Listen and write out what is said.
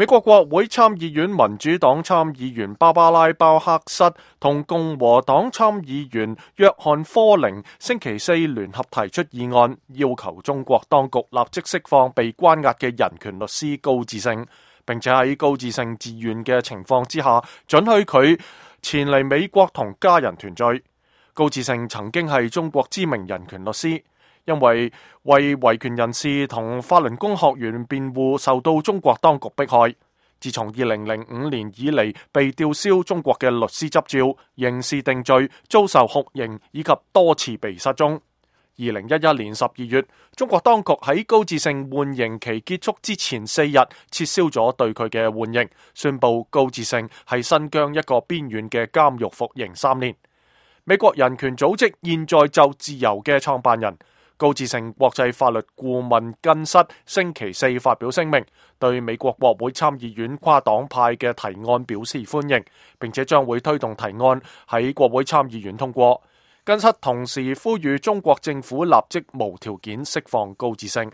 美國國會參議院民主黨參議員芭芭拉·鮑克瑟同共和黨參議員約翰·科寧星期四聯合提出議案，要求中國當局立即釋放被關押嘅人權律師高志勝，並且喺高志勝自願嘅情況之下，准許佢前嚟美國同家人團聚。高志勝曾經係中國知名人權律師，因為維權人士同法輪功學員辯護受到中國當局迫害。自從2005年以嚟被吊銷中國嘅律師執照、刑事定罪、遭受酷刑以及多次被失蹤。2011年12月，中國當局喺高志勝緩刑期結束之前4日撤銷咗對佢嘅緩刑，宣布高志勝喺新疆一個邊緣嘅監獄服刑3年。美國人權組織現在就自由嘅創辦人高志勝國際法律顧問根室星期四發表聲明，對美國國會參議院跨黨派嘅提案表示歡迎，並且將會推動提案喺國會參議院通過。根室同時呼籲中國政府立即無條件釋放高志勝。